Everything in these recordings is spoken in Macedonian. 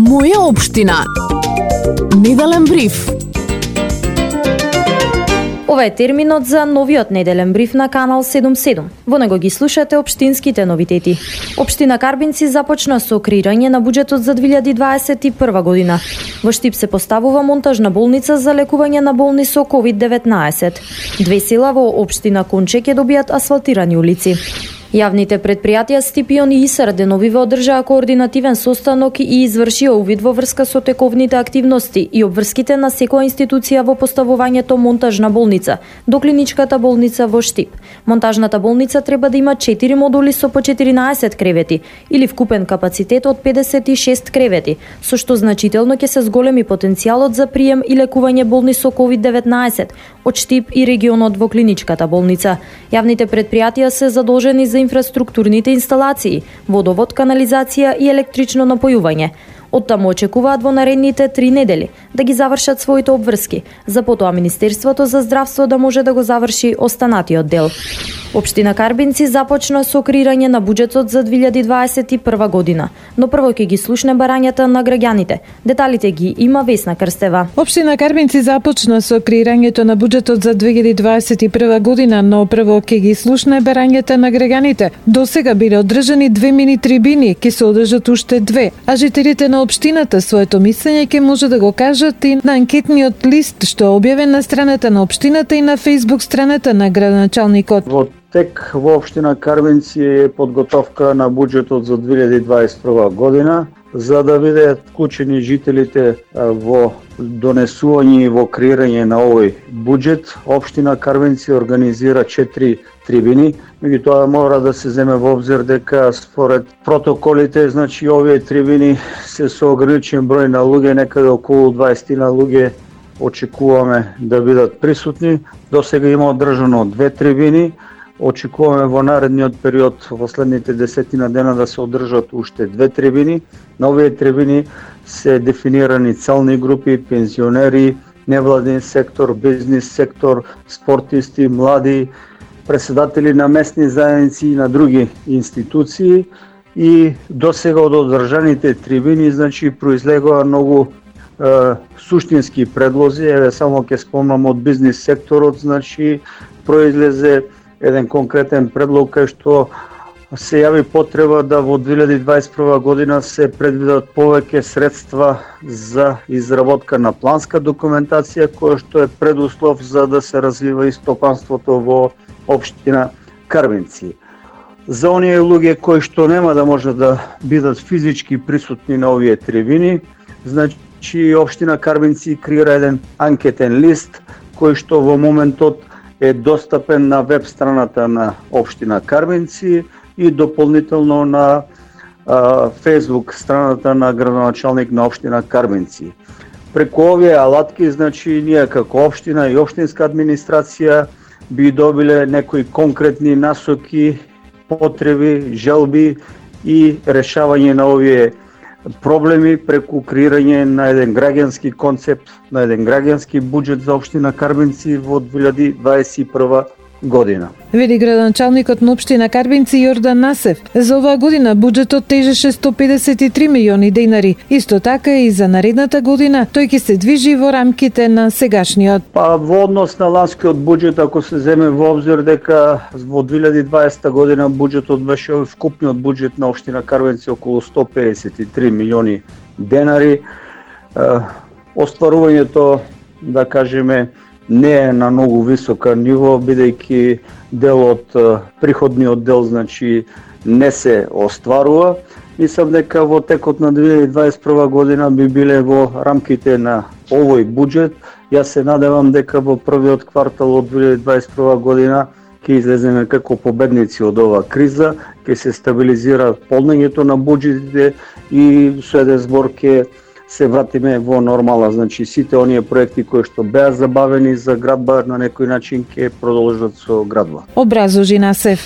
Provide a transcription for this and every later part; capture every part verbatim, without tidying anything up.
Моја општина. Неделен бриф. Ова е терминот за новиот неделен бриф на Канал седумдесет и седум. Во него ги слушате општинските новитети. Општина Карбинци започна со креирање на буџетот за две илјади дваесет и прва година. Во Штип се поставува монтажна болница за лекување на болни со ковид деветнаесет. Две села во општина Конче ќе добијат асфалтирани улици. Јавните предпријатија Стипион и ИСР деновиве одржаа координативен состанок и извршија увид во врска со тековните активности и обврските на секоја институција во поставувањето монтажна болница до клиничката болница во Штип. Монтажната болница треба да има четири модули со по четиринаесет кревети или вкупен капацитет од педесет и шест кревети, со што значително ќе се зголеми потенцијалот за прием и лекување болни со ковид деветнаесет од Штип и регионот во клиничката болница. Јавните предпријатија се задолжени за инфраструктурните инсталации, водовод, канализација и електрично напојување. Оттаму очекуваат во наредните три недели да ги завршат своите обврски, за потоа Министерството за здравство да може да го заврши останатиот дел. Општина Карбинци започна со креирање на буџетот за две илјади дваесет и прва година, но прво ќе ги слушне барањата на граѓаните. Деталите ги има Весна Крстева. Општина Карбинци започна со креирањето на буџетот за две илјади дваесет и прва година, но прво ќе ги слушне барањата на граѓаните. До сега биле одржани две мини трибини, ќе се одржат уште две, а жителите на општината своето мислење ќе може да го кажат и на анкетниот лист што е објавен на страната на општината и на Facebook страната на градоначалникот. Во тек во општина Карбинци е подготовка на буџетот за две илјади дваесет и прва година, за да бидат вклучени жителите во донесување и во креирање на овој буџет. Општина Карбинци организира четири трибини, меѓутоа мора да се земе во обзир дека според протоколите, значи овие трибини се со ограничен број на луѓе, некаде околу дваесет на луѓе очекуваме да бидат присутни. До сега има одржано две трибини. Очекуваме во наредниот период, во следните десетина дена да се одржат уште две трибини. На овие трибини се дефинирани целни групи, пензионери, невладин сектор, бизнис сектор, спортисти, млади, председатели на местни заедници и на други институции. И до сега од одржаните трибини, значи, произлегоа многу е, суштински предлози. Еве само ќе спомнам од бизнис секторот, значи, произлезе еден конкретен предлог кај што се јави потреба да во две илјади дваесет и прва година се предвидат повеќе средства за изработка на планска документација, која што е предуслов за да се развива и стопанството во општина Карбинци. За оние луѓе кои што нема да може да бидат физички присутни на овие трибини, значи општина Карбинци креира еден анкетен лист кој што во моментот е достапен на веб страната на општина Карбинци и дополнително на а, Facebook страната на градоначалник на општина Карбинци. Преку овие алатки, значи, ние како општина и општинска администрација би добиле некои конкретни насоки, потреби, желби и решавање на овие проблеми преку креирање на еден граѓански концепт, на еден граѓански буџет за општина Карбинци во две илјади дваесет и прва година. Вели градоначалникот на општина Карбинци Јордан Насев. За оваа година буџетот тежеше сто педесет и три милиони денари. Исто така и за наредната година тој ќе се движи во рамките на сегашниот. Па во однос на ланскиот буџет, ако се земе во обзир дека во две илјади дваесета година буџетот беше вкупниот буџет на општина Карбинци околу сто педесет и три милиони денари, остварувањето, да кажеме, не е на многу висока ниво, бидејќи дел од приходниот дел, значи, не се остварува. Мислам дека во текот на две илјади дваесет и прва година би биле во рамките на овој буџет. Јас се надевам дека во првиот квартал од две илјади дваесет и прва година ќе излеземе како победници од оваа криза, ќе се стабилизира полнењето на буџетите и со еден збор ќе се вратиме во нормала. Значи, сите оние проекти кои што беа забавени за градба на некој начин ќе продолжат со градба. Образложи Насев.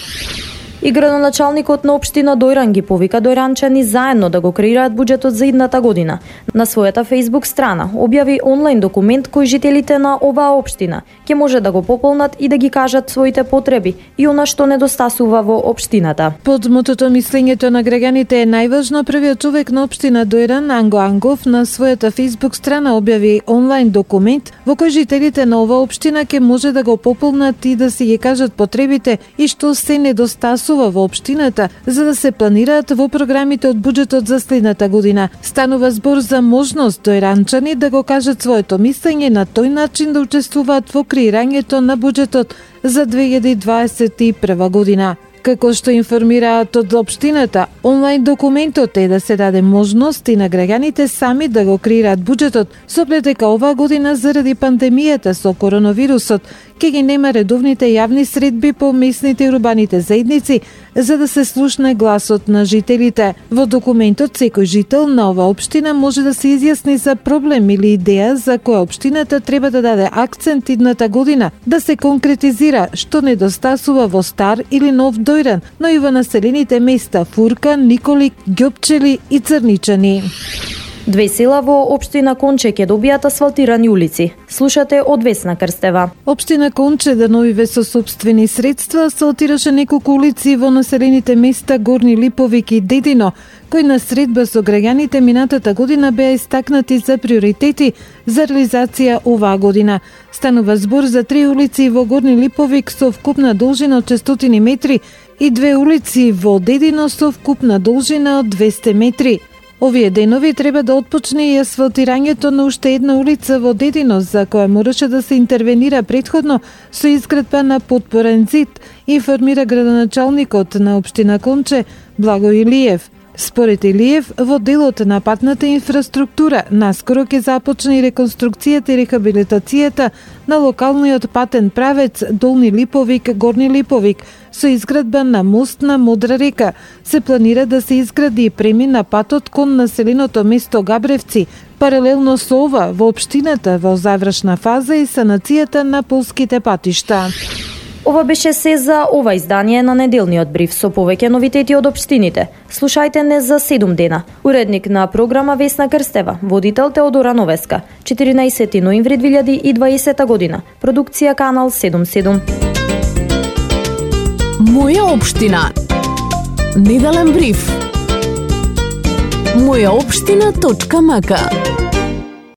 И градоначалникот на општина Дојран ги повика дојранчани заедно да го креираат буџетот за идната година. На својата Facebook страна објави онлайн документ кој жителите на оваа општина ќе може да го пополнат и да ги кажат своите потреби и она што недостасува во општината. Под мотото мислењето на граѓаните е најважно, првиот човек на општина Дојран, Анго Ангов, на својата Facebook страна објави онлайн документ во кој жителите на оваа општина ќе може да го пополнат и да си ги кажат потребите и што се недостасува во општината за да се планираат во програмите од буџетот за следната година. Станува збор за можност дојранчани да го кажат своето мислење на тој начин да учествуваат во креирањето на буџетот за две илјади дваесет и прва година. Како што информираат од општината, онлайн документот е да се даде можност и на граѓаните сами да го креираат буџетот, со оглед дека оваа година заради пандемијата со коронавирусот ќе ги нема редовните јавни средби по местните и урбаните заедници за да се слушне гласот на жителите. Во документот секој жител на оваа општина може да се изјасни за проблем или идеја за која општината треба да даде акцент идната година, да се конкретизира што недостасува во Стар или Нов Дојран, но и во населените места Фурка, Николик, Ѓопчели и Црничани. Две села во општина Конче ќе добијат асфалтирани улици. Слушате од Весна Крстева. Општина Конче деновиве со сопствени средства асфалтираше неколку улици во населените места Горни Липовик и Дедино, кои на средба со граѓаните минатата година беа истакнати за приоритети за реализација оваа година. Станува збор за три улици во Горни Липовик со вкупна должина од шестстотини метри и две улици во Дедино со вкупна должина од двесте метри. Овие денови треба да отпочне и асфалтирањето на уште една улица во Дедино, за која мораше да се интервенира претходно со изградба на подпорен зид, информира градоначалникот на општина Конче Благо Илиев. Според Илиев, во делот на патната инфраструктура наскоро ќе започне и реконструкцијата и рехабилитацијата на локалниот патен правец Долни Липовик, Горни Липовик, со изградба на мост на Модра река. Се планира да се изгради и премина патот кон населеното место Габревци. Паралелно со ова, во општината во завршна фаза и санацијата на полските патишта. Ова беше се за ова издание на неделниот бриф со повеќе новитети од општините. Слушајте не за седум дена. Уредник на програма Весна Крстева, водител Теодора Новеска, четиринаесети ноември две илјади и дваесета година. Продукција Канал седум седум. Моја општина. Неделен бриф. моја општина точка м к